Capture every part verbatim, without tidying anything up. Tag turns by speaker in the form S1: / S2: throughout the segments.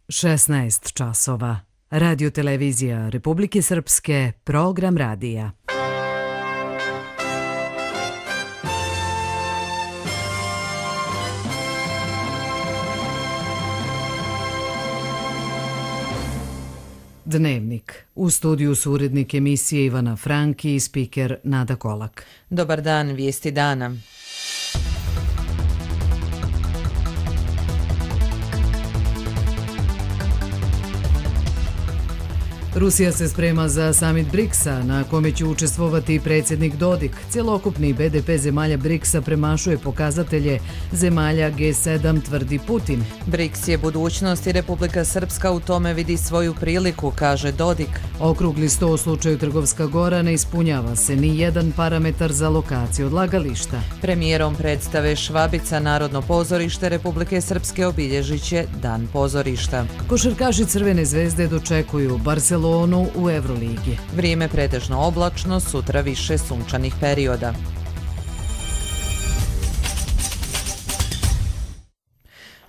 S1: šesnaest časova. Radio televizija Republike Srpske, program radija. Dnevnik. U studiju su urednik emisije Ivana Franki i spiker Nada Kolak.
S2: Dobar dan, vijesti dana.
S1: Rusija se sprema za samit briksa, na kome će učestvovati predsjednik Dodik. Cjelokupni be de pe zemalja briksa premašuje pokazatelje zemalja ge sedam, tvrdi Putin.
S2: briks je budućnost i Republika Srpska u tome vidi svoju priliku, kaže Dodik.
S1: Okrugli sto u slučaju Trgovska Gora, ne ispunjava se ni jedan parametar za lokaciju odlagališta.
S2: Premijerom predstave Švabica Narodno pozorište Republike Srpske obilježit će Dan pozorišta.
S1: Košarkaši Crvene zvezde dočekuju Barcelonu u Evroligi.
S2: Vrijeme pretežno oblačno, sutra više sunčanih perioda.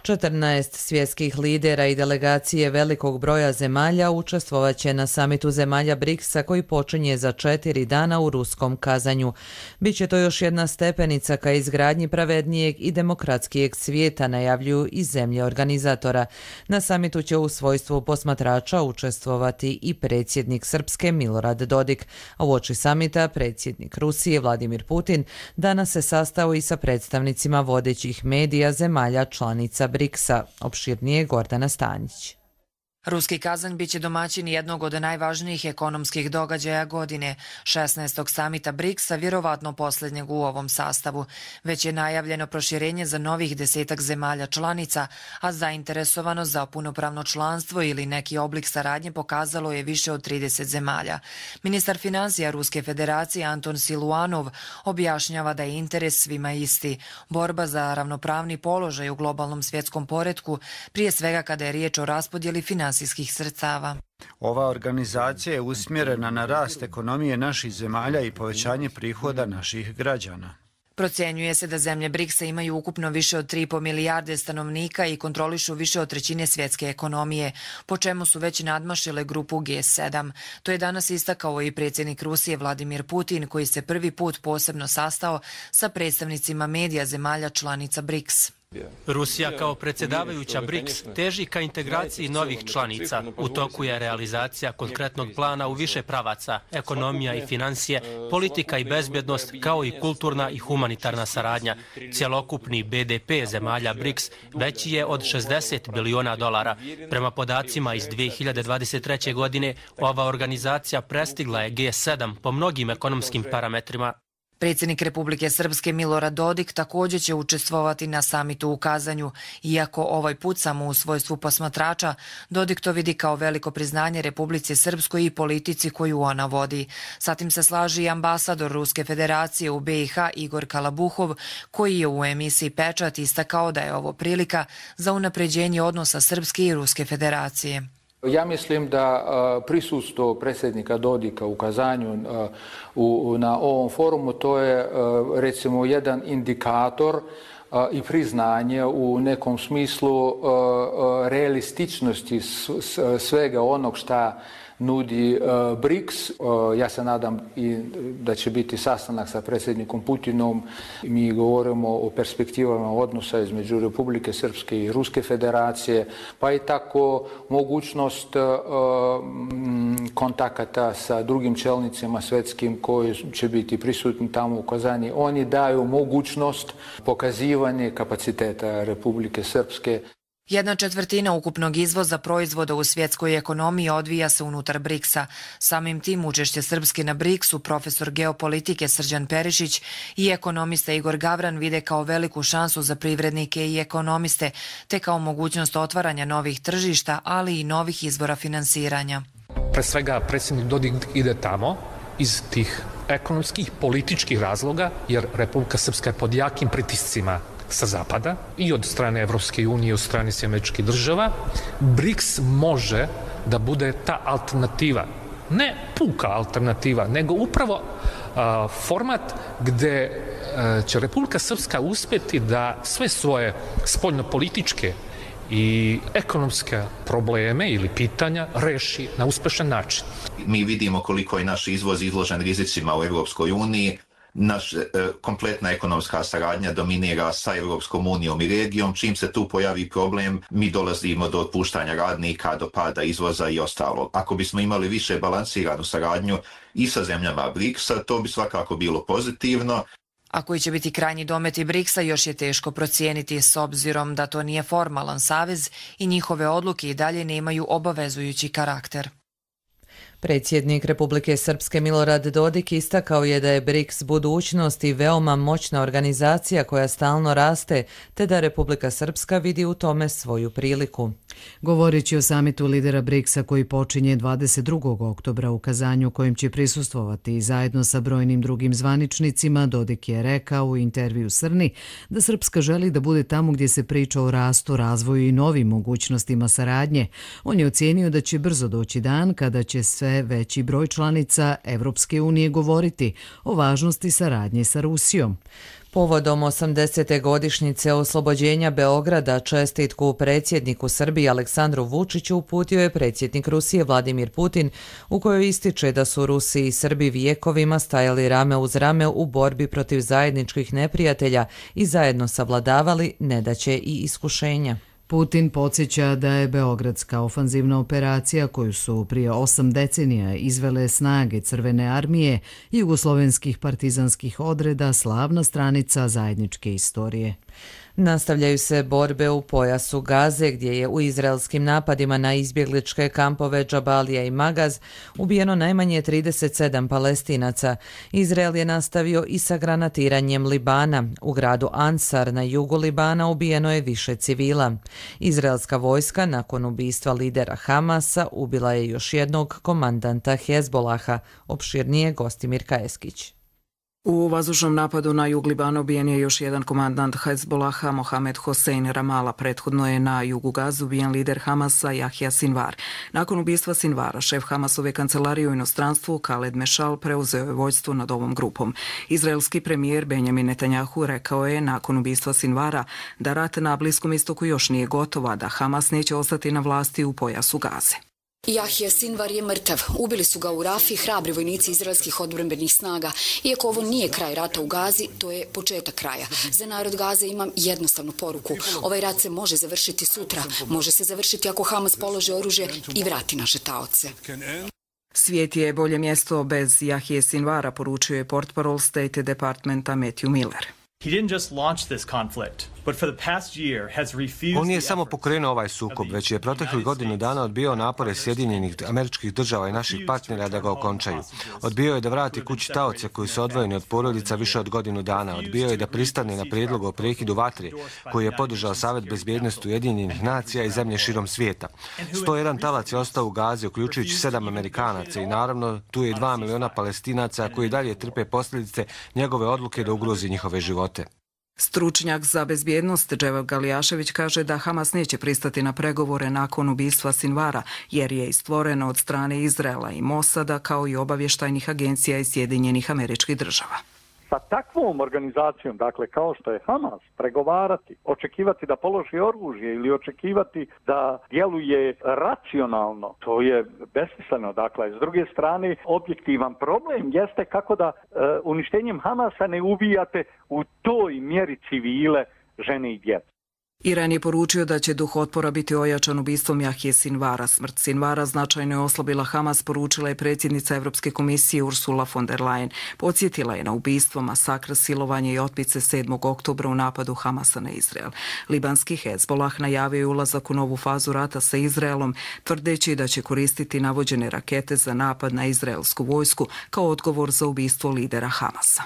S2: četrnaest svjetskih lidera i delegacije velikog broja zemalja učestvovat će na samitu zemalja briksa koji počinje za četiri dana u ruskom Kazanju. Biće to još jedna stepenica ka izgradnji pravednijeg i demokratskijeg svijeta, najavljuju i zemlje organizatora. Na samitu će u svojstvu posmatrača učestvovati i predsjednik Srpske Milorad Dodik, a uoči samita predsjednik Rusije Vladimir Putin danas se sastao i sa predstavnicima vodećih medija zemalja članica briksa. Opširnije Gordana Stanjić.
S3: Ruski Kazanj biće domaćin jednog od najvažnijih ekonomskih događaja godine, šesnaestog samita briksa, vjerovatno posljednjeg u ovom sastavu. Već je najavljeno proširenje za novih desetak zemalja članica, a zainteresovanost za punopravno članstvo ili neki oblik saradnje pokazalo je više od trideset zemalja. Ministar financija Ruske federacije Anton Siluanov objašnjava da je interes svima isti. Borba za ravnopravni položaj u globalnom svjetskom poretku, prije svega kada je riječ o raspodjeli finansijskih sredstava.
S4: Ova organizacija je usmjerena na rast ekonomije naših zemalja i povećanje prihoda naših građana.
S3: Procjenjuje se da zemlje briksa imaju ukupno više od tri i po milijarde stanovnika i kontrolišu više od trećine svjetske ekonomije, po čemu su već nadmašile grupu ge sedam. To je danas istakao i predsjednik Rusije Vladimir Putin, koji se prvi put posebno sastao sa predstavnicima medija zemalja članica briks.
S5: Rusija kao predsjedavajuća briks teži ka integraciji novih članica. U toku je realizacija konkretnog plana u više pravaca, ekonomija i financije, politika i bezbjednost, kao i kulturna i humanitarna saradnja. Cjelokupni be de pe zemalja briks veći je od šezdeset biliona dolara. Prema podacima iz dvije hiljade dvadeset treće. godine, ova organizacija prestigla je ge sedam po mnogim ekonomskim parametrima.
S3: Predsjednik Republike Srpske Milorad Dodik također će učestvovati na samitu u Kazanju. Iako ovaj put samo u svojstvu posmatrača, Dodik to vidi kao veliko priznanje Republici Srpskoj i politici koju ona vodi. Sa tim se slaži i ambasador Ruske federacije u be i ha Igor Kalabuhov, koji je u emisiji Pečat istakao da je ovo prilika za unapređenje odnosa Srpske i Ruske federacije.
S6: Ja mislim da prisustvo predsjednika Dodika u Kazanju u, na ovom forumu to je recimo jedan indikator i priznanje u nekom smislu realističnosti svega onog šta nudi briks. Ja se nadam i da će biti sastanak sa predsjednikom Putinom. Mi govorimo o perspektivama odnosa između Republike Srpske i Ruske federacije, pa i tako mogućnost kontakata sa drugim čelnicima svjetskim koji će biti prisutni tamo u Kazani. Oni daju mogućnost pokazivanja kapaciteta Republike Srpske.
S3: Jedna četvrtina ukupnog izvoza proizvoda u svjetskoj ekonomiji odvija se unutar briksa. Samim tim učešće Srpske na briksu profesor geopolitike Srđan Perišić i ekonomista Igor Gavran vide kao veliku šansu za privrednike i ekonomiste, te kao mogućnost otvaranja novih tržišta, ali i novih izvora finansiranja.
S7: Pre svega predsjednik Dodik ide tamo iz tih ekonomskih, političkih razloga, jer Republika Srpska je pod jakim pritiscima sa zapada i od strane Evropske unije i od strane Američkih država. briks može da bude ta alternativa, ne puka alternativa, nego upravo a, format gde a, će Republika Srpska uspjeti da sve svoje spoljnopolitičke i ekonomske probleme ili pitanja reši na uspešan način.
S8: Mi vidimo koliko je naš izvoz izložen rizicima u Europskoj uniji. Naš e, kompletna ekonomska saradnja dominira sa Europskom unijom i regijom. Čim se tu pojavi problem, mi dolazimo do otpuštanja radnika, do pada izvoza i ostalo. Ako bismo imali više balansiranu saradnju i sa zemljama briksa, to bi svakako bilo pozitivno.
S3: A koji će biti krajnji dometi briksa još je teško procijeniti s obzirom da to nije formalan savez i njihove odluke i dalje nemaju obavezujući karakter.
S2: Predsjednik Republike Srpske Milorad Dodik istakao je da je briks budućnost i veoma moćna organizacija koja stalno raste, te da Republika Srpska vidi u tome svoju priliku.
S1: Govoreći o samitu lidera briksa koji počinje dvadeset drugog oktobra u Kazanju, kojim će prisustvovati zajedno sa brojnim drugim zvaničnicima, Dodik je rekao u intervju Srni da Srpska želi da bude tamo gdje se priča o rastu, razvoju i novim mogućnostima saradnje. On je ocijenio da će brzo doći dan kada će sve veći broj članica Evropske unije govoriti o važnosti saradnje sa Rusijom.
S2: Povodom osamdesete godišnjice oslobođenja Beograda čestitku predsjedniku Srbije Aleksandru Vučiću uputio je predsjednik Rusije Vladimir Putin, u kojoj ističe da su Rusi i Srbi vijekovima stajali rame uz rame u borbi protiv zajedničkih neprijatelja i zajedno savladavali nedaće i iskušenja.
S1: Putin podsjeća da je beogradska ofanzivna operacija koju su prije osam decenija izvele snage Crvene armije i jugoslovenskih partizanskih odreda slavna stranica zajedničke istorije.
S2: Nastavljaju se borbe u pojasu Gaze, gdje je u izraelskim napadima na izbjegličke kampove Džabalija i Magaz ubijeno najmanje trideset sedam Palestinaca. Izrael je nastavio i sa granatiranjem Libana. U gradu Ansar na jugu Libana ubijeno je više civila. Izraelska vojska nakon ubistva lidera Hamasa ubila je još jednog komandanta Hezbolaha, opširnije Gostimir Kajeskić.
S9: U vazdušnom napadu na jug Libana ubijen je još jedan komandant Hezbolaha, Mohamed Hossein Ramala. Prethodno je na jugu Gaze ubijen lider Hamasa, Jahja Sinvar. Nakon ubistva Sinvara, šef Hamasove kancelarije u inostranstvu, Khaled Mešal, preuzeo je vođstvo nad ovom grupom. Izraelski premijer Benjamin Netanjahu rekao je nakon ubistva Sinvara da rat na Bliskom istoku još nije gotova, da Hamas neće ostati na vlasti u pojasu Gaze.
S10: Jahja Sinvar je mrtav. Ubili su ga u Rafi hrabri vojnici izraelskih odbrambenih snaga. Iako ovo nije kraj rata u Gazi, to je početak kraja. Za narod Gaze imam jednostavnu poruku. Ovaj rat se može završiti sutra. Može se završiti ako Hamas položi oružje i vrati naše taoce.
S9: Svijet je bolje mjesto bez Jahje Sinvara, poručio je portparol State Departmenta Matthew Miller.
S11: On nije samo pokrenuo ovaj sukob, već je proteklih godinu dana odbio napore Sjedinjenih Američkih Država i naših partnera da ga okončaju. Odbio je da vrati kući taoce koji su odvojeni od porodica više od godinu dana. Odbio je da pristane na prijedlog o prekidu vatre koji je podržao Savet bezbjednosti Ujedinjenih nacija i zemlje širom svijeta. sto jedan talac je ostao u Gazi, uključujući sedam Amerikanaca i naravno tu je i dva miliona Palestinaca koji dalje trpe posljedice njegove odluke da ugrozi njihove živote.
S9: Stručnjak za bezbjednost Dževad Galijašević kaže da Hamas neće pristati na pregovore nakon ubistva Sinvara, jer je istvoreno od strane Izraela i Mosada kao i obavještajnih agencija iz Sjedinjenih Američkih Država.
S12: Sa takvom organizacijom, dakle kao što je Hamas, pregovarati, očekivati da položi oružje ili očekivati da djeluje racionalno, to je besmisleno. Dakle, s druge strane, objektivan problem jeste kako da e, uništenjem Hamasa ne ubijate u toj mjeri civile, žene i djece.
S9: Iran je poručio da će duh otpora biti ojačan ubistvom Jahje Sinvara. Smrt Sinvara značajno je oslabila Hamas, poručila je predsjednica Europske komisije Ursula von der Leyen. Podsjetila je na ubistvo, masakr, silovanje i otmice sedmog oktobra u napadu Hamasa na Izrael. Libanski Hezbolah najavio je ulazak u novu fazu rata sa Izraelom, tvrdeći da će koristiti navođene rakete za napad na izraelsku vojsku kao odgovor za ubistvo lidera Hamasa.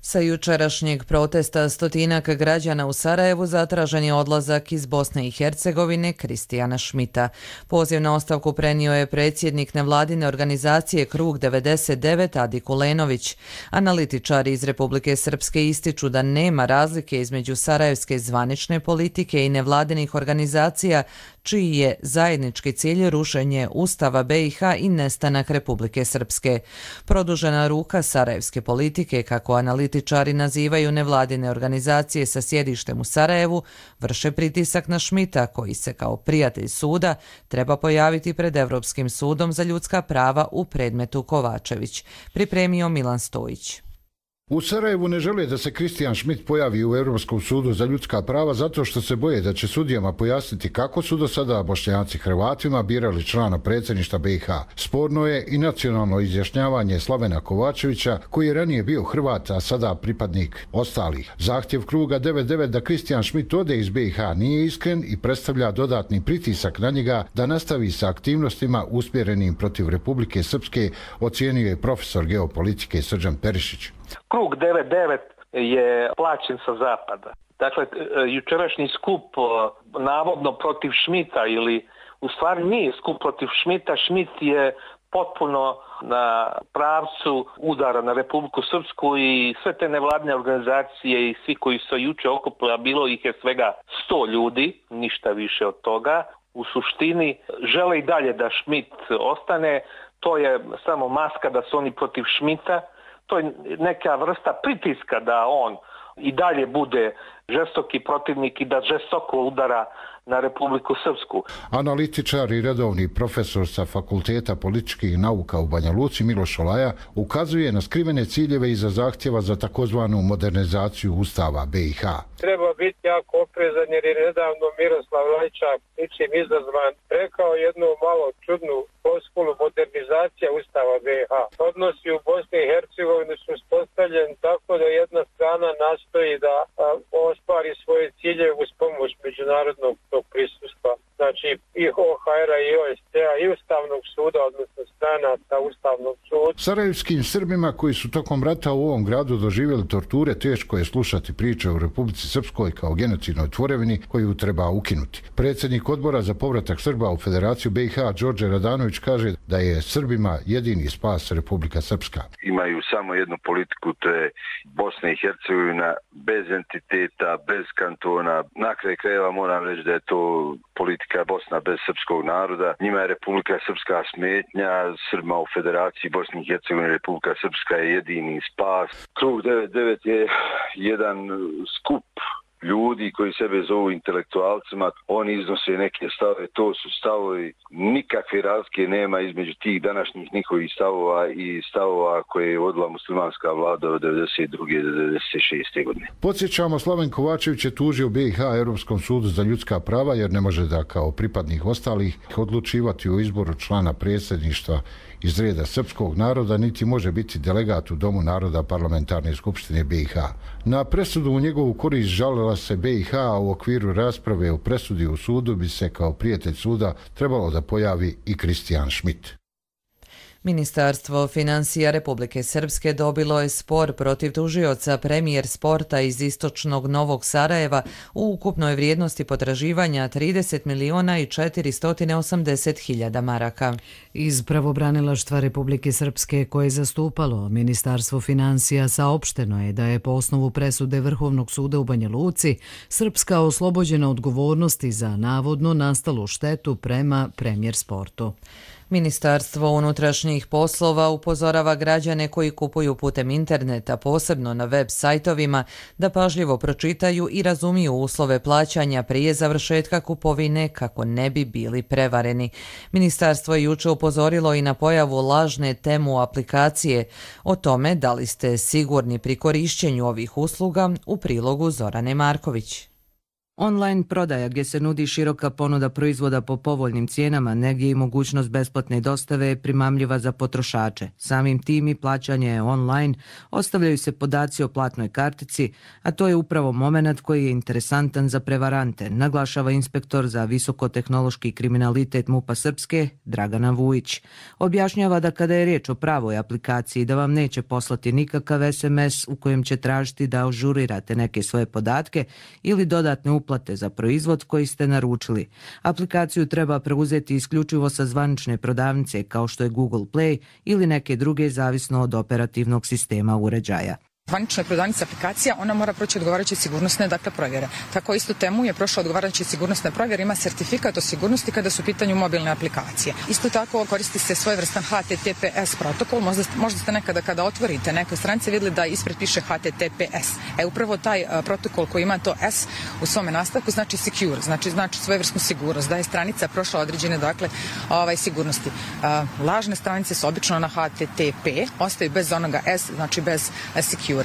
S2: Sa jučerašnjeg protesta stotinak građana u Sarajevu zatražen je odlazak iz Bosne i Hercegovine Kristijana Šmita. Poziv na ostavku prenio je predsjednik nevladine organizacije Krug devedeset devet Adi Kulenović. Analitičari iz Republike Srpske ističu da nema razlike između sarajevske zvanične politike i nevladinih organizacija, čiji je zajednički cilj rušenje Ustava B i H i nestanak Republike Srpske. Produžena ruka sarajevske politike, kako analitičari nazivaju nevladine organizacije sa sjedištem u Sarajevu, vrše pritisak na Šmita, koji se kao prijatelj suda treba pojaviti pred Evropskim sudom za ljudska prava u predmetu Kovačević. Pripremio Milan Stojić.
S13: U Sarajevu ne žele da se Kristijan Šmit pojavi u Europskom sudu za ljudska prava zato što se boje da će sudijama pojasniti kako su do sada Bošnjaci Hrvatima birali člana predsjedništva B i H. Sporno je i nacionalno izjašnjavanje Slavena Kovačevića, koji je ranije bio Hrvat, a sada pripadnik ostalih. Zahtjev kruga devet devet da Kristijan Šmit ode iz B i H nije iskren i predstavlja dodatni pritisak na njega da nastavi sa aktivnostima usmjerenim protiv Republike Srpske, ocijenio je profesor geopolitike Srđan Perišić.
S14: Krug devet devet je plaćen sa zapada. Dakle, jučerašnji skup navodno protiv Šmita, ili u stvari nije skup protiv Šmita, Šmit je potpuno na pravcu udara na Republiku Srpsku i sve te nevladine organizacije i svi koji su juče okupili, a bilo ih je svega sto ljudi, ništa više od toga, u suštini žele i dalje da Šmit ostane. To je samo maska da su oni protiv Šmita. To je neka vrsta pritiska da on i dalje bude žestoki protivnik i da žestoko udara na Republiku Srpsku.
S13: Analitičar i redovni profesor sa Fakulteta političkih nauka u Banja Luci Miloš Olaja ukazuje na skrivene ciljeve iza zahtjeva za takozvanu modernizaciju Ustava B i H.
S15: Treba biti jako oprezan jer je nedavno Miroslav Lajčak, ničim izazvan, rekao jednu malo čudnu floskulu: modernizacija Ustava B i H. Odnosi u Bosni i Hercegovini su uspostavljeni tako da jedna strana nastoji da a, ostvari svoje ciljeve uz pomoć međunarodnog tog prisustva. Znači i O H R-a i O S C-a i Ustavnog suda, odnosno stranaca Ustavnog suda.
S13: Sarajevskim Srbima koji su tokom rata u ovom gradu doživjeli torture teško je slušati priče o Republici Srpskoj kao genocidnoj tvorevini koju treba ukinuti. Predsjednik odbora za povratak Srba u Federaciju B i H Đorđe Radanović kaže da je Srbima jedini spas Republika Srpska.
S16: Imaju samo jednu politiku, to je Bosna i Hercegovina bez entiteta, bez kantona. Na kraju krajeva moram reći da je to politika Bosna bez srpskog naroda. Njima je Republika Srpska smetnja, Srbima u Federaciji Bosne i Hercegovine Republika Srpska je jedini spas. Krug devet devet je jedan skup ljudi koji sebe zovu intelektualcima, oni iznose neke stave, to su stavovi, nikakve razlike nema između tih današnjih njihovih stavova i stavova koje je vodila muslimanska vlada od devedeset druge do devedeset šeste godine.
S13: Podsjećamo, Slaven Kovačević je tužio B i H Europskom sudu za ljudska prava jer ne može da kao pripadnik ostalih odlučivati o izboru člana predsjedništva iz reda srpskog naroda, niti može biti delegat u Domu naroda Parlamentarne skupštine B i H. Na presudu u njegovu korist žalila se B i H, a u okviru rasprave o presudi u sudu bi se kao prijatelj suda trebalo da pojavi i Kristijan Šmit.
S2: Ministarstvo financija Republike Srpske dobilo je spor protiv tužioca premijer sporta iz istočnog Novog Sarajeva u ukupnoj vrijednosti potraživanja trideset miliona i četiristo osamdeset hiljada maraka.
S1: Iz pravobranilaštva Republike Srpske koje je zastupalo Ministarstvo financija saopšteno je da je po osnovu presude Vrhovnog suda u Banja Luci Srpska oslobođena odgovornosti za navodno nastalu štetu prema premijer sportu.
S2: Ministarstvo unutrašnjih poslova upozorava građane koji kupuju putem interneta, posebno na web sajtovima, da pažljivo pročitaju i razumiju uslove plaćanja prije završetka kupovine kako ne bi bili prevareni. Ministarstvo je juče upozorilo i na pojavu lažne temu aplikacije. O tome da li ste sigurni pri korišćenju ovih usluga u prilogu Zorane Marković.
S17: Online prodaja gdje se nudi široka ponuda proizvoda po povoljnim cijenama, negdje i mogućnost besplatne dostave je primamljiva za potrošače. Samim tim i plaćanje je online, ostavljaju se podaci o platnoj kartici, a to je upravo moment koji je interesantan za prevarante, naglašava inspektor za visokotehnološki kriminalitet MUP-a Srpske, Dragana Vujić. Objašnjava da kada je riječ o pravoj aplikaciji da vam neće poslati nikakav es em es u kojem će tražiti da ažurirate neke svoje podatke ili dodatne uplate plate za proizvod koji ste naručili. Aplikaciju treba preuzeti isključivo sa zvanične prodavnice kao što je Google Play ili neke druge zavisno od operativnog sistema uređaja.
S18: Zvanična prodavnica aplikacija, ona mora proći odgovarajuće sigurnosne dakle provjere. Tako isto temu je prošla odgovarajuće sigurnosne provjere, ima sertifikat o sigurnosti kada su u pitanju mobilne aplikacije. Isto tako koristi se svojevrstan H T T P S protokol, možda, možda ste nekada kada otvorite neke stranice vidjeli da ispred piše H T T P S. E upravo taj a, protokol koji ima to S u svome nastavku znači secure, znači znači svojevrsnu sigurnost, da je stranica prošla određene dakle ovaj sigurnosti. A, lažne stranice su obično na H T T P, ostaju bez onoga S, znači bez a, secure.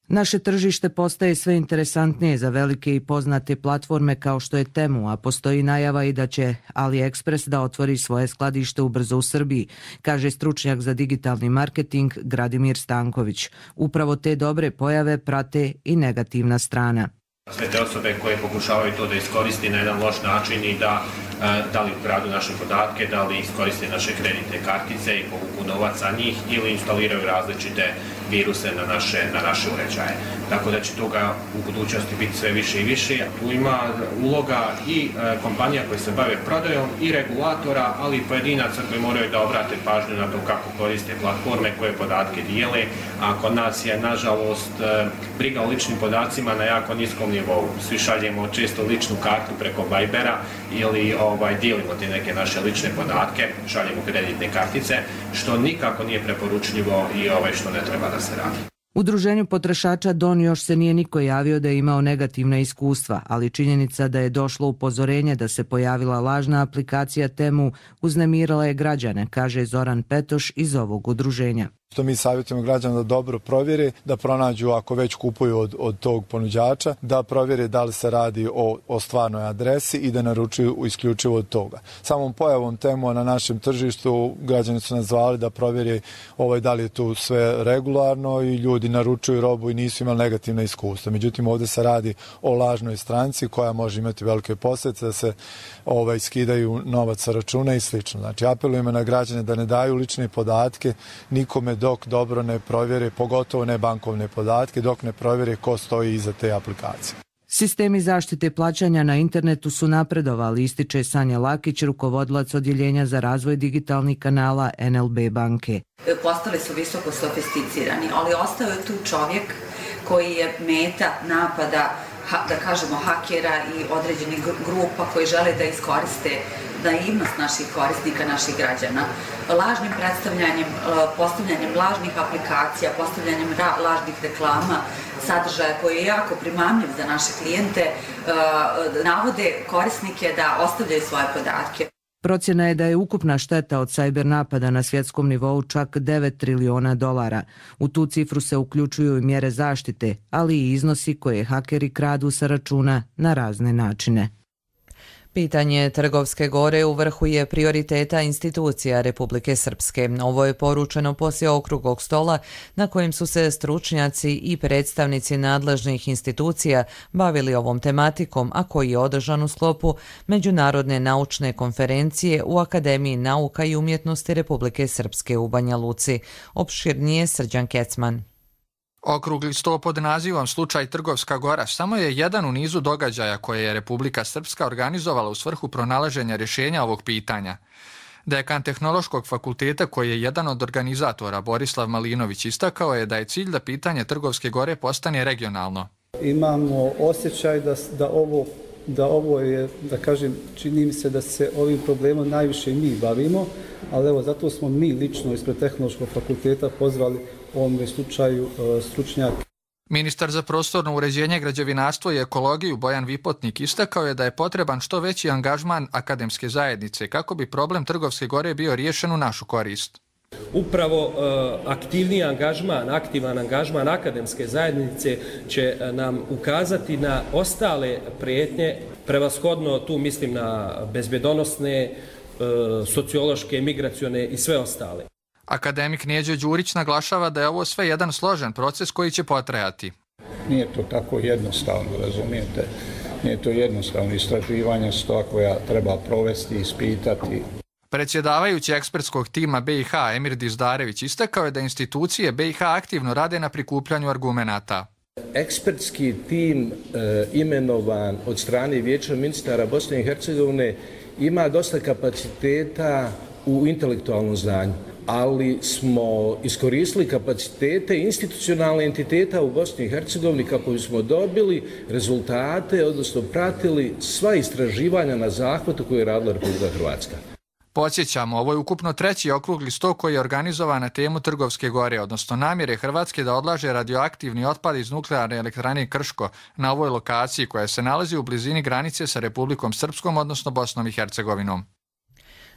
S17: Naše tržište postaje sve interesantnije za velike i poznate platforme kao što je Temu, a postoji najava i da će AliExpress da otvori svoje skladište ubrzo u Srbiji, kaže stručnjak za digitalni marketing Gradimir Stanković. Upravo te dobre pojave prate i negativna strana.
S19: Sve te osobe koje pokušavaju to da iskoristi na jedan loš način i da, da li ukradu naše podatke, da li iskoriste naše kreditne kartice i povuku novac sa njih ili instaliraju različite viruse na naše, na naše uređaje. Tako da će toga u budućnosti biti sve više i više. Tu ima uloga i e, kompanija koje se bave prodajom i regulatora, ali i pojedinaca koji moraju da obrate pažnju na to kako koriste platforme koje podatke dijele, a kod nas je nažalost e, briga o ličnim podacima na jako niskom nivou. Svi šaljemo često ličnu kartu preko Vibera ili ovaj, dijelimo te neke naše lične podatke, šaljemo kreditne kartice, što nikako nije preporučljivo i ovaj, što ne treba da se radi.
S17: Udruženju potrošača D O N još se nije niko javio da je imao negativna iskustva, ali činjenica da je došlo upozorenje da se pojavila lažna aplikacija Temu uznemirala je građane, kaže Zoran Petoš iz ovog udruženja.
S20: Što mi savjetujemo građana da dobro provjeri, da pronađu ako već kupuju od, od tog ponuđača, da provjeri da li se radi o, o stvarnoj adresi i da naručuju isključivo od toga. Samom pojavom Temu na našem tržištu građani su nas zvali da provjeri ovaj, da li je tu sve regularno i ljudi naručuju robu i nisu imali negativna iskustva. Međutim, ovdje se radi o lažnoj stranci koja može imati velike posljedice da se ovaj, skidaju novac sa računa i slično. Znači, apelujemo na građane da ne daju lične podatke nikome dok dobro ne provjere, pogotovo ne bankovne podatke, dok ne provjere ko stoji iza te aplikacije.
S17: Sistemi zaštite plaćanja na internetu su napredovali, ističe Sanja Lakić, rukovodilac odjeljenja za razvoj digitalnih kanala N L B banke.
S21: Postali su visoko sofisticirani, ali ostao je tu čovjek koji je meta napada, da kažemo, hakera i određenih grupa koji žele da iskoriste naivnost naših korisnika, naših građana. Lažnim predstavljanjem, postavljanjem lažnih aplikacija, postavljanjem lažnih reklama, sadržaja koji je jako primamljiv za naše klijente, navode korisnike da ostavljaju svoje podatke.
S17: Procjena je da je ukupna šteta od sajber napada na svjetskom nivou čak devet triliona dolara. U tu cifru se uključuju i mjere zaštite, ali i iznosi koje hakeri kradu sa računa na razne načine.
S2: Pitanje Trgovske gore u vrhu je prioriteta institucija Republike Srpske. Ovo je poručeno poslije okruglog stola na kojem su se stručnjaci i predstavnici nadležnih institucija bavili ovom tematikom, a koji je održan u sklopu Međunarodne naučne konferencije u Akademiji nauka i umjetnosti Republike Srpske u Banja Luci. Opširnije Srđan Kecman.
S22: Okrugli sto pod nazivom Slučaj Trgovska gora samo je jedan u nizu događaja koje je Republika Srpska organizovala u svrhu pronalaženja rješenja ovog pitanja. Dekan Tehnološkog fakulteta, koji je jedan od organizatora, Borislav Malinović, istakao je da je cilj da pitanje Trgovske gore postane regionalno.
S23: Imamo osjećaj da, da, ovo, da ovo je, da kažem, čini mi se da se ovim problemom najviše mi bavimo, ali evo, zato smo mi lično ispred Tehnološkog fakulteta pozvali u ovom slučaju stručnjake.
S22: Ministar za prostorno uređenje, građevinarstvo i ekologiju Bojan Vipotnik istakao je da je potreban što veći angažman akademske zajednice kako bi problem Trgovske gore bio riješen u našu korist.
S24: Upravo aktivniji angažman, aktivan angažman akademske zajednice će nam ukazati na ostale prijetnje, prevashodno tu mislim na bezbjedonosne, sociološke, migracione i sve ostale.
S22: Akademik Neđo Đurić naglašava da je ovo sve jedan složen proces koji će potrajati.
S25: Nije to tako jednostavno, razumijete? Nije to jednostavno. Istraživanja su to koja treba provesti, ispitati.
S22: Predsjedavajući ekspertskog tima B i H Emir Dizdarević istakao je da institucije B i H aktivno rade na prikupljanju argumenata.
S26: Ekspertski tim e, imenovan od strane Vijeća ministara Bosne i Hercegovine ima dosta kapaciteta u intelektualnom znanju. ali smo iskoristili kapacitete institucionalne entiteta u Bosni i Hercegovini kako bismo dobili rezultate, odnosno pratili sva istraživanja na zahvatu koje je radila Republika Hrvatska.
S22: Podsjećamo, ovo je ukupno treći okrugli sto koji je organizovan na temu Trgovske gore, odnosno namjere Hrvatske da odlaže radioaktivni otpad iz nuklearne elektrane Krško na ovoj lokaciji koja se nalazi u blizini granice sa Republikom Srpskom, odnosno Bosnom i Hercegovinom.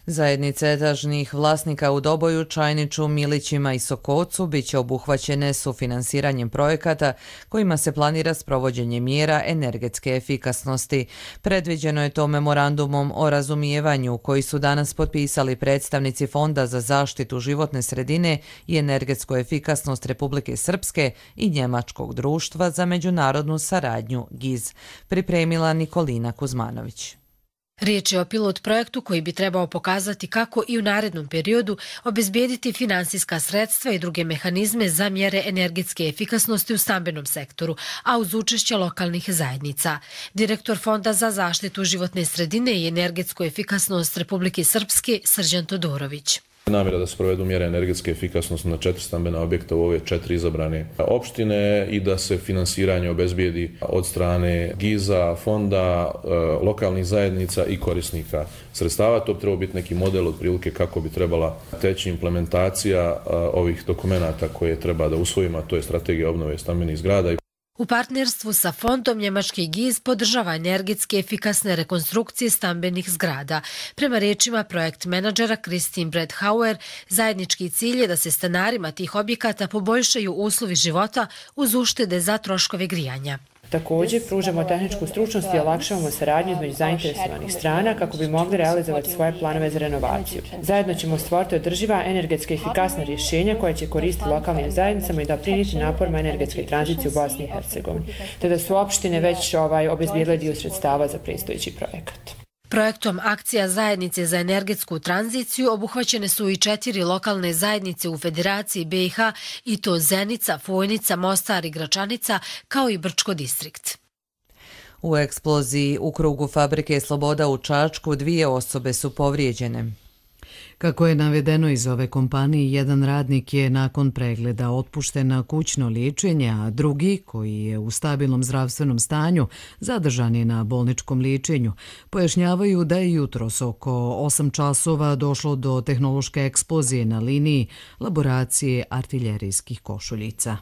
S2: Zajednice etažnih vlasnika u Doboju, Čajniću, Milićima i Sokocu bit će obuhvaćene sufinansiranjem projekata kojima se planira sprovođenje mjera energetske efikasnosti. Predviđeno je to memorandumom o razumijevanju koji su danas potpisali predstavnici Fonda za zaštitu životne sredine i energetsku efikasnost Republike Srpske i Njemačkog društva za međunarodnu saradnju G I Z. Pripremila Nikolina Kuzmanović.
S3: Riječ je o pilot projektu koji bi trebao pokazati kako i u narednom periodu obezbijediti finansijska sredstva i druge mehanizme za mjere energetske efikasnosti u stambenom sektoru, a uz učešće lokalnih zajednica. Direktor Fonda za zaštitu životne sredine i energetsku efikasnost Republike Srpske, Srđan Todorović.
S4: Namjera da se provedu mjere energetske efikasnosti na četiri stambena objekta u ove četiri izabrane opštine i da se finansiranje obezbijedi od strane G I Z-a, fonda, lokalnih zajednica i korisnika sredstava. To bi trebao biti neki model otprilike kako bi trebala teći implementacija ovih dokumenata koje treba da usvojimo, a to je strategija obnove stambenih zgrada.
S3: U partnerstvu sa fondom njemački G I Z podržava energetske efikasne rekonstrukcije stambenih zgrada. Prema riječima projekt menadžera Christine Bredhauer, zajednički cilj je da se stanarima tih objekata poboljšaju uslovi života uz uštede za troškove grijanja.
S5: Također, pružamo tehničku stručnost i olakšavamo saradnju između zainteresovanih strana kako bi mogli realizovati svoje planove za renovaciju. Zajedno ćemo stvoriti održiva energetska efikasna rješenja koja će koristiti lokalnim zajednicama i doprinijeti naporima energetske tranzicije u Bosni i Hercegovini, te da su opštine već ovaj, obezbijedile dio sredstava za predstojeći projekat.
S3: Projektom Akcija zajednice za energetsku tranziciju obuhvaćene su i četiri lokalne zajednice u Federaciji B i H, i to Zenica, Fojnica, Mostar i Gračanica, kao i Brčko distrikt.
S2: U eksploziji u krugu fabrike Sloboda u Čačku dvije osobe su povrijeđene.
S1: Kako je navedeno iz ove kompanije, jedan radnik je nakon pregleda otpušten na kućno liječenje, a drugi, koji je u stabilnom zdravstvenom stanju, zadržan je na bolničkom liječenju. Pojašnjavaju da je jutros oko osam časova došlo do tehnološke eksplozije na liniji laboracije artiljerijskih košuljica.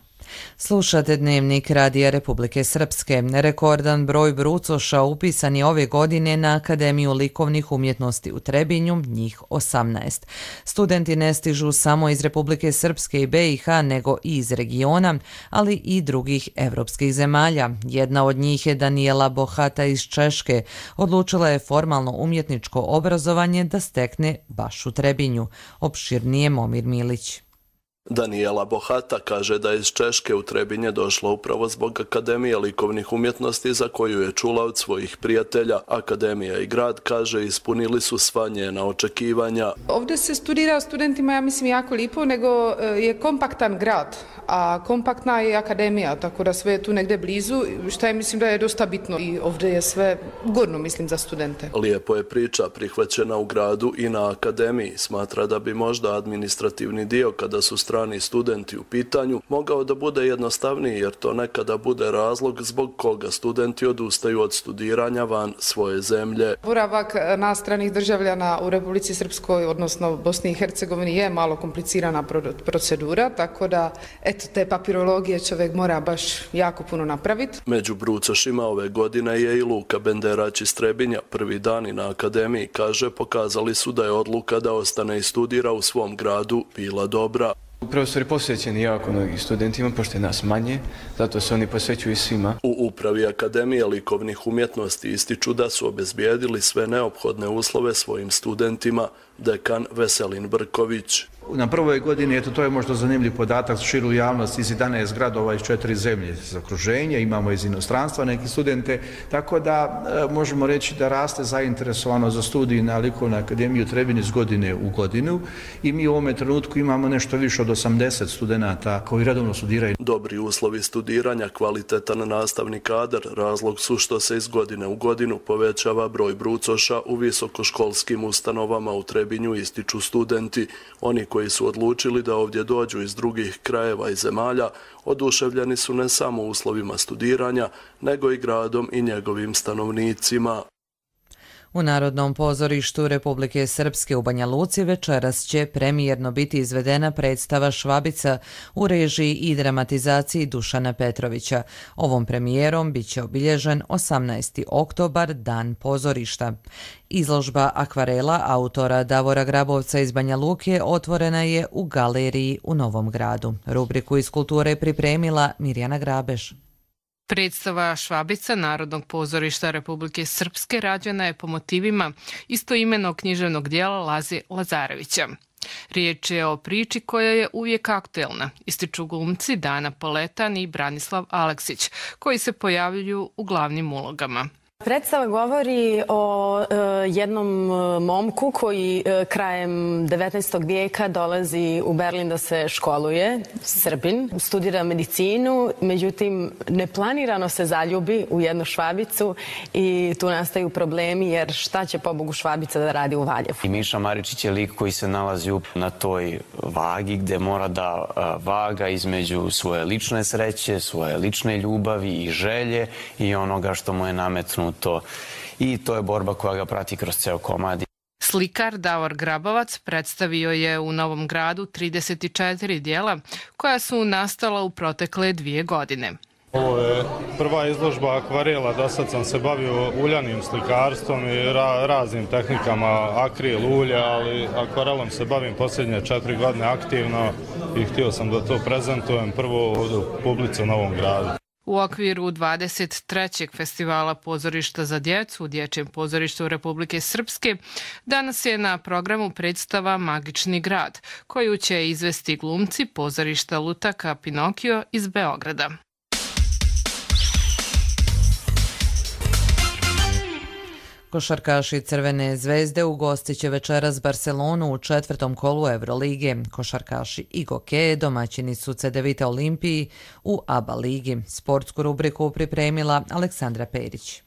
S2: Slušate Dnevnik Radija Republike Srpske. Rekordan broj brucoša upisan je ove godine na Akademiju likovnih umjetnosti u Trebinju, njih osamnaest. Studenti ne stižu samo iz Republike Srpske i B i H, nego i iz regiona, ali i drugih evropskih zemalja. Jedna od njih je Daniela Bohata iz Češke. Odlučila je formalno umjetničko obrazovanje da stekne baš u Trebinju. Opširnije Momir Milić.
S6: Daniela Bohata kaže da je iz Češke u Trebinje došla upravo zbog Akademije likovnih umjetnosti za koju je čula od svojih prijatelja. Akademija i grad, kaže, ispunili su sva njena očekivanja.
S7: Ovdje se studira studentima, ja mislim, jako lipo, nego je kompaktan grad, a kompaktna je akademija, tako da sve je tu negdje blizu, što je, mislim, da je dosta bitno i ovdje je sve ugodno, mislim, za studente.
S6: Lijepo je priča prihvaćena u gradu i na akademiji. Smatra da bi možda administrativni dio, kada su strani studenti u pitanju, mogao da bude jednostavniji, jer to nekada bude razlog zbog koga studenti odustaju od studiranja van svoje zemlje.
S7: Boravak na stranih državljana u Republici Srpskoj, odnosno Bosni i Hercegovini, je malo komplicirana procedura, tako da eto, te papirologije čovjek mora baš jako puno napraviti.
S6: Među brucošima ove godine je i Luka Benderać iz Trebinja. Prvi dani na akademiji, kaže, pokazali su da je odluka da ostane i studira u svom gradu bila dobra.
S8: Profesori posvećeni jako mnogih studentima, pošto je nas manje, zato se oni posvećuju svima.
S6: U upravi Akademije likovnih umjetnosti ističu da su obezbijedili sve neophodne uslove svojim studentima, dekan Veselin Brković.
S8: Na prvoj godini, eto, to je možda zanimljiv podatak za širu javnost, iz jedanaest gradova iz četiri zemlje za okruženje, imamo iz inostranstva neki studente, tako da e, možemo reći da raste zainteresovano za studij na Likovnoj akademiji u Trebinju iz godine u godinu i mi u ovome trenutku imamo nešto više od osamdeset studenata koji redovno studiraju.
S6: Dobri uslovi studiranja, kvalitetan nastavni kadar, razlog su što se iz godine u godinu povećava broj brucoša u visokoškolskim ustanovama u Trebinju, ističu studenti. Oni koji koji su odlučili da ovdje dođu iz drugih krajeva i zemalja oduševljeni su ne samo uslovima studiranja, nego i gradom i njegovim stanovnicima.
S2: U Narodnom pozorištu Republike Srpske u Banja Luci večeras će premijerno biti izvedena predstava Švabica u režiji i dramatizaciji Dušana Petrovića. Ovom premijerom biće obilježen osamnaesti oktobar, Dan pozorišta. Izložba akvarela autora Davora Grabovca iz Banja Luke otvorena je u galeriji u Novom Gradu. Rubriku iz kulture je pripremila Mirjana Grabež.
S9: Predstava Švabica Narodnog pozorišta Republike Srpske rađena je po motivima istoimenog književnog dijela Laze Lazarevića. Riječ je o priči koja je uvijek aktuelna, ističu glumci Dana Poletan i Branislav Aleksić, koji se pojavljuju u glavnim ulogama.
S10: Predstava govori o e, jednom momku koji e, krajem devetnaestog vijeka dolazi u Berlin da se školuje, Srbin, studira medicinu, međutim neplanirano se zaljubi u jednu Švabicu i tu nastaju problemi jer šta će pobogu Švabica da radi u Valjevu.
S11: I Miša Maričić je lik koji se nalazi na toj vagi gde mora da vaga između svoje lične sreće, svoje lične ljubavi i želje i onoga što mu je nametnuto. To. I to je borba koja ga prati kroz ceo komad.
S9: Slikar Davor Grabovac predstavio je u Novom Gradu trideset četiri dijela koja su nastala u protekle dvije godine.
S12: Ovo je prva izložba akvarela, do sad sam se bavio uljanim slikarstvom i ra raznim tehnikama, akril, ulja, ali akvarelom se bavim posljednje četiri godine aktivno i htio sam da to prezentujem prvo u publici u Novom Gradu.
S9: U okviru dvadeset trećeg festivala pozorišta za djecu u Dječjem pozorištu Republike Srpske danas je na programu predstava Magični grad, koju će izvesti glumci pozorišta Lutaka Pinokio iz Beograda.
S2: Košarkaši Crvene zvezde ugostit će večeras Barcelonu u četvrtom kolu Evrolige. Košarkaši Igoke domaćini su Cedevita Olimpiji u ABA ligi. Sportsku rubriku pripremila Aleksandra Perić.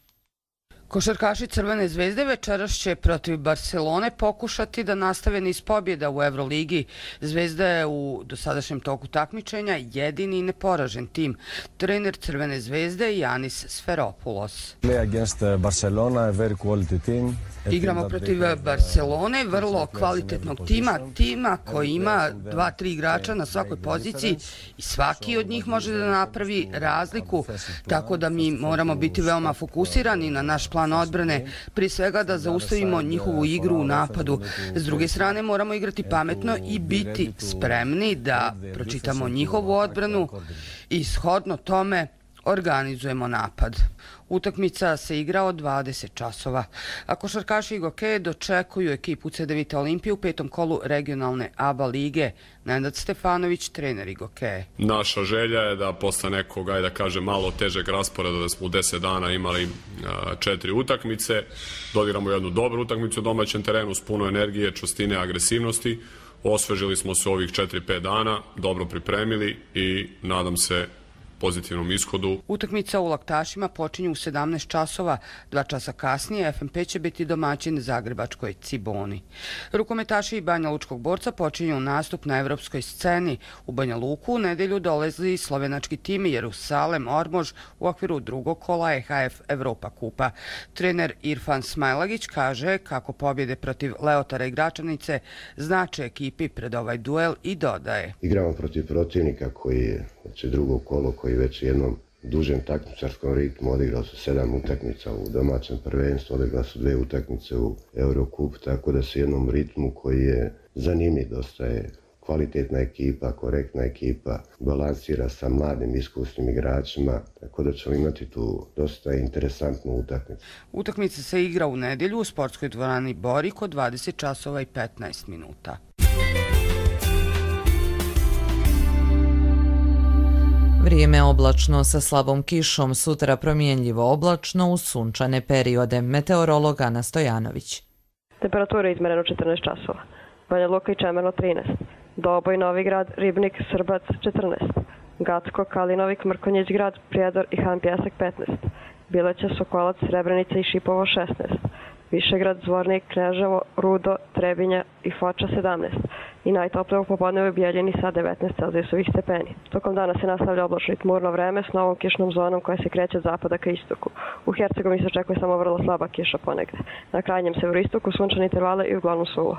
S14: Košarkaši Crvene zvezde večeras će protiv Barcelone pokušati da nastave niz pobjeda u Evroligi. Zvezda je u dosadašnjem toku takmičenja jedini neporažen tim. Trener Crvene zvezde je Janis Sferopoulos. Igramo protiv Barcelone, vrlo kvalitetnog tima, tima koji ima dva, tri igrača na svakoj poziciji i svaki od njih može da napravi razliku, tako da mi moramo biti veoma fokusirani na naš plan odbrane, prije svega da zaustavimo njihovu igru u napadu. S druge strane moramo igrati pametno i biti spremni da pročitamo njihovu odbranu i shodno tome organizujemo napad. Utakmica se igra od dvadeset časova. A košarkaši Igoke dočekuju ekipu Cedevita Olimpije u petom kolu regionalne ABA lige. Nenad Stefanović, trener Igoke.
S15: Naša želja je da posle nekog, ajde da kažem, malo težeg rasporeda, da smo u deset dana imali četiri utakmice, dodigramo jednu dobru utakmicu u domaćem terenu s puno energije, čvrstine, agresivnosti. Osvežili smo se ovih četiri pet dana, dobro pripremili i nadam se pozitivnom ishodu.
S14: Utakmica u Laktašima počinje u sedamnaest časova. Dva časa kasnije F M P će biti domaćin Zagrebačkoj Ciboni. Rukometaši Banja Lučkog borca počinju nastup na evropskoj sceni. U Banja Luku u nedelju dolazi slovenački tim Jerusalem Ormož u okviru drugog kola E H F Evropa kupa. Trener Irfan Smajlagić kaže kako pobjede protiv Leotara i Gračanice znače ekipi pred ovaj duel i dodaje.
S27: Igramo protiv protivnika koji je znači, drugo kolo koji već u jednom dužem takmičarskom ritmu odigrao su sedam utakmica u domaćem prvenstvu, odigrao su dve utakmice u Eurocup, tako da se jednom ritmu koji je zanimljiv, dosta je kvalitetna ekipa, korektna ekipa, balansira sa mladim iskusnim igračima, tako da ćemo imati tu dosta interesantnu utakmicu.
S14: Utakmica se igra u nedelju u sportskoj dvorani Borik od dvadeset časova i petnaest minuta.
S2: Vrijeme oblačno sa slabom kišom, sutra promjenljivo oblačno uz sunčane periode. Meteorolog Ana Stojanović.
S28: Temperatura izmereno četrnaest časova. Banja Luka i Čemerno trinaest. Doboj, Novigrad, Ribnik, Srbac četrnaest. Gacko, Kalinovik, Mrkonjić grad, Prijedor i Han Pjesak petnaest. Bileća, Sokolac, Srebrenica i Šipovo šesnaest. Višegrad, Zvornik, Kneževo, Rudo, Trebinja i Foča sedamnaest i najtoplije u popodne u Bijeljini sa devetnaest celzijusovih stepeni. Tokom dana se nastavlja oblačno i tmurno vreme s novom kišnom zonom koja se kreće od zapada ka istoku. U Hercegovini se očekuje samo vrlo slaba kiša ponegde. Na krajnjem severoistoku sunčane intervale i uglavnom suvo.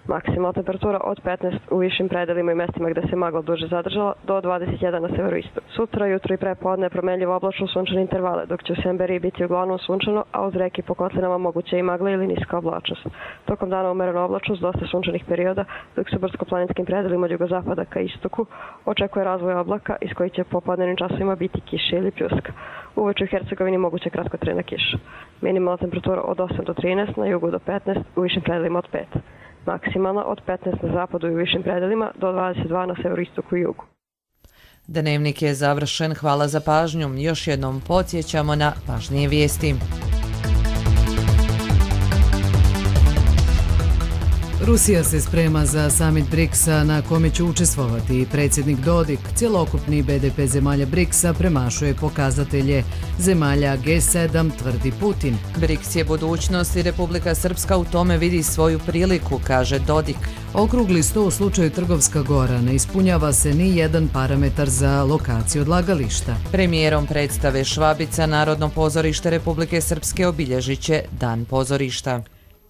S28: Maksimalna temperatura od petnaest u višim predelima i mestima gde se magla duže zadržala do dvadeset jedan na severoistoku. Sutra, jutro i prepodne promenljivo oblačno sunčane intervale, dok će u Semberiji biti uglavnom sunčano, a uz reke po kotlinama moguće i magla ili niska oblačnost. Tokom dana umerena oblačnost, dosta sunčanih perioda, dok se brdsko-planinskim predelima od jugozapada ka istoku očekuje razvoj oblaka iz kojih će popodnevnim časovima biti kiše ili pljuska. Uveče u Hercegovini moguće kratkotrajna kiša. Minimalna temperatura od osam do trinaest, na jugu do petnaest, u višim predelima od pet. Maksimalna od petnaest na zapadu i u višim predelima do dvadeset dva na severoistoku i jugu.
S2: Dnevnik je završen, hvala za pažnju. Još jednom podsjećamo na važnije vijesti.
S1: Rusija se sprema za samit briksa na kome će učestvovati predsjednik Dodik. Cjelokupni be de pe zemalja briksa premašuje pokazatelje zemalja ge sedam, tvrdi Putin.
S2: Briks je budućnost i Republika Srpska u tome vidi svoju priliku, kaže Dodik.
S1: Okrugli sto u slučaju Trgovska Gora ne ispunjava se ni jedan parametar za lokaciju odlagališta.
S2: Premijerom predstave Švabica Narodno pozorište Republike Srpske obilježit će Dan pozorišta.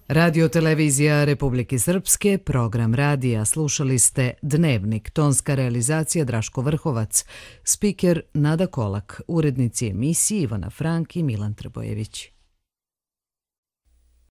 S1: Radio televizija Republike Srpske, program radija, slušali ste Dnevnik, tonska realizacija Draško Vrhovac, spiker Nada Kolak, urednici emisije Ivana Frank i Milan Trbojević.